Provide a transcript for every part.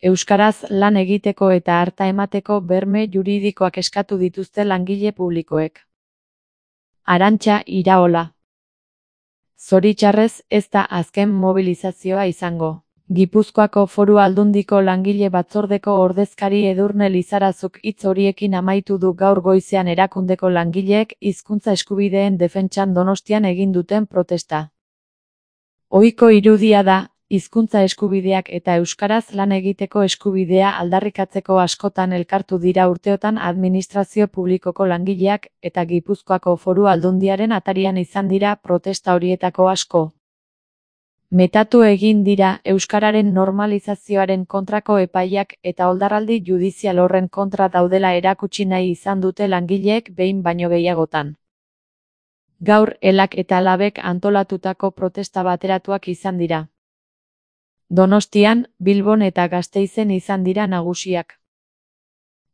Euskaraz lan egiteko eta arta emateko berme juridikoak eskatu dituzte langile publikoek. Arantxa Iraola. Zoritxarrez ez da azken mobilizazioa izango. Gipuzkoako Foru Aldundiko langile batzordeko ordezkari Edurne Lizarazuk hitz horiekin amaitu du gaur goizean erakundeko langileek hizkuntza eskubideen defentsan Donostian egin duten protesta. Ohiko irudia da, hizkuntza eskubideak eta euskaraz lan egiteko eskubidea aldarrikatzeko askotan elkartu dira urteotan administrazio publikoko langileak eta Gipuzkoako Foru Aldundiaren atarian izan dira protesta horietako asko. Metatu egin dira euskararen normalizazioaren kontrako epaiak eta oldarraldi judizial horren kontra daudela erakutsi nahi izan dute langileek behin baino gehiagotan. Gaur Elak eta Labek antolatutako protesta bateratuak izan dira. Donostian, Bilbon eta Gasteizen izan dira nagusiak.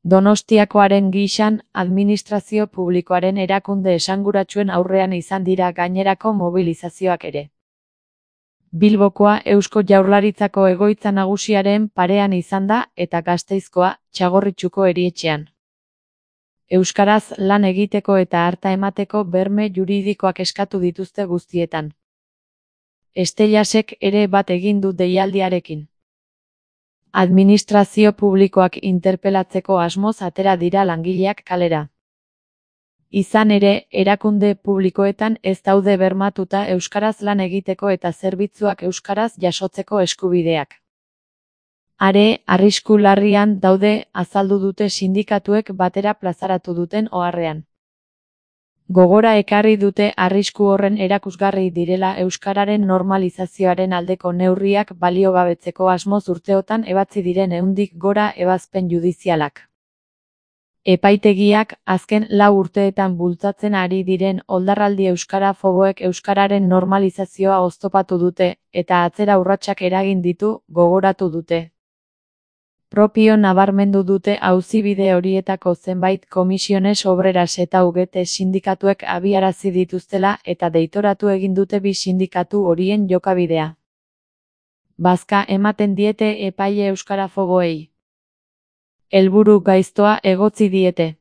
Donostiakoaren gisan, administrazio publikoaren erakunde esanguratsuen aurrean izan dira gainerako mobilizazioak ere. Bilbokoa Eusko Jaurlaritzako egoitza nagusiaren parean izan da eta Gasteizkoa, Txagorritxuko erietxean. Euskaraz lan egiteko eta arta emateko berme juridikoak eskatu dituzte guztietan. Estelasek ere bat egin du deialdiarekin. Administrazio publikoak interpelatzeko asmoz atera dira langileak kalera. Izan ere, erakunde publikoetan ez daude bermatuta euskaraz lan egiteko eta zerbitzuak euskaraz jasotzeko eskubideak. Are, arrisku larrian daude azaldu dute sindikatuek batera plazaratu duten oharrean. Gogora ekarri dute arrisku horren erakusgarri direla euskararen normalizazioaren aldeko neurriak baliogabetzeko asmoz urteotan ebatzi diren 100 gora ebazpen judizialak. Epaitegiak azken 4 urteetan bultzatzen ari diren oldarraldi euskara foboek euskararen normalizazioa oztopatu dute eta atzera urratsak eragin ditu gogoratu dute. Propio nabarmendu dute auzibide horietako zenbait komisiones obreras eta UGT sindikatuek abiarazi dituztela eta deitoratu egin dute bi sindikatu horien jokabidea. Bazka ematen diete epaile euskara foboei. Helburu gaiztoa egotzi diete.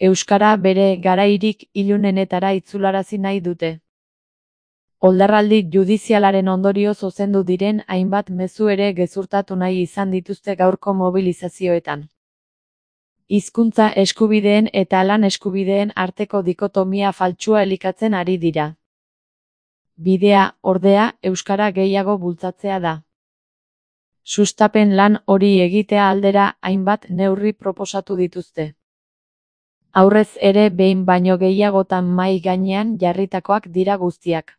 Euskara bere garairik ilunenetara itzularazi nahi dute. Oldarraldi judizialaren ondorio zuzendu diren hainbat mezu ere gezurtatu nahi izan dituzte gaurko mobilizazioetan. Hizkuntza eskubideen eta lan eskubideen arteko dikotomia faltsua elikatzen ari dira. Bidea, ordea, euskara gehiago bultzatzea da. Sustapen lan hori egitea aldera hainbat neurri proposatu dituzte. Aurrez ere behin baino gehiagotan mahai gainean jarritakoak dira guztiak.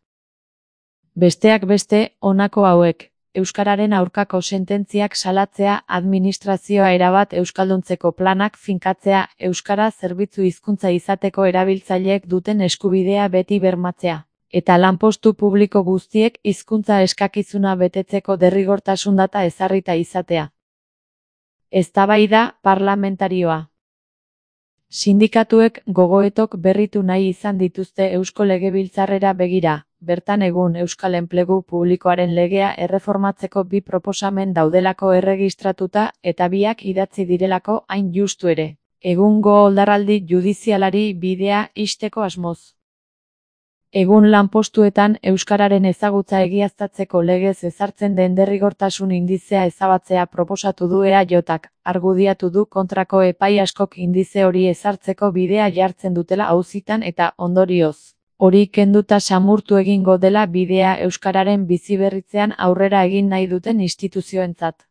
Besteak beste, honako hauek, euskararen aurkako sententziak salatzea, administrazioa erabat euskalduntzeko planak finkatzea, euskara zerbitzu hizkuntza izateko erabiltzaileek duten eskubidea beti bermatzea, eta lanpostu publiko guztiek hizkuntza eskakizuna betetzeko derrigortasun data ezarrita izatea. Eztabaida parlamentarioa. Sindikatuek gogoetok berritu nahi izan dituzte Eusko Legebiltzarrera begira. Bertan egun Euskal Enplegu Publikoaren legea erreformatzeko bi proposamen daudelako erregistratuta eta biak idatzi direlako hain justu ere. Egungo oldarraldi judizialari bidea ixteko asmoz. Egun lanpostuetan euskararen ezagutza egiaztatzeko legez ezartzen den derrigortasun indizea ezabatzea proposatu du EAJak, argudiatu du kontrako epai askok indize hori ezartzeko bidea jartzen dutela auzitan eta ondorioz. Hori kenduta samurtu egingo dela bidea euskararen biziberritzean aurrera egin nahi duten instituzioentzat.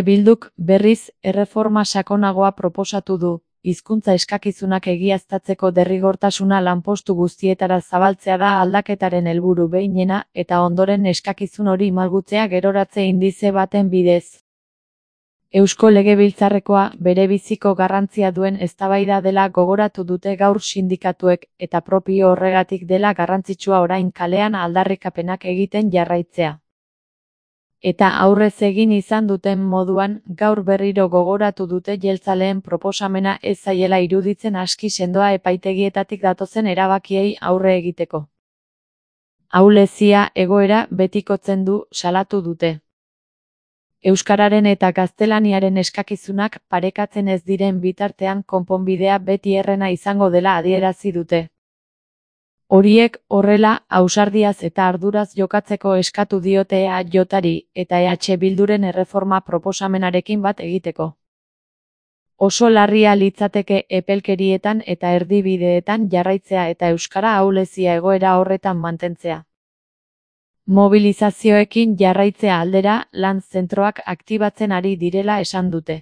Bilduk, berriz, erreforma sakonagoa proposatu du, hizkuntza eskakizunak egiaztatzeko derrigortasuna lanpostu guztietara zabaltzea da aldaketaren helburu behinena eta ondoren eskakizun hori malgutzea geroratze indize baten bidez. Eusko Legebiltzarrekoa bere biziko garrantzia duen eztabaida dela gogoratu dute gaur sindikatuek eta propio horregatik dela garrantzitsua orain kalean aldarrikapenak egiten jarraitzea. Eta aurrez egin izan duten moduan gaur berriro gogoratu dute jeltzaleen proposamena ez zaiela iruditzen aski sendoa epaitegietatik datozen erabakiei aurre egiteko. Ahulezia egoera betikotzen du salatu dute. Euskararen eta gaztelaniaren eskakizunak parekatzen ez diren bitartean konponbidea beti errena izango dela adierazi dute. Horiek horrela, ausardiaz eta arduraz jokatzeko eskatu diote EAJari eta EH Bilduren erreforma proposamenarekin bat egiteko. Oso larria litzateke epelkerietan eta erdibideetan jarraitzea eta euskara ahulezia egoera horretan mantentzea. Mobilizazioekin jarraitzea aldera, lan zentroak aktibatzen ari direla esan dute.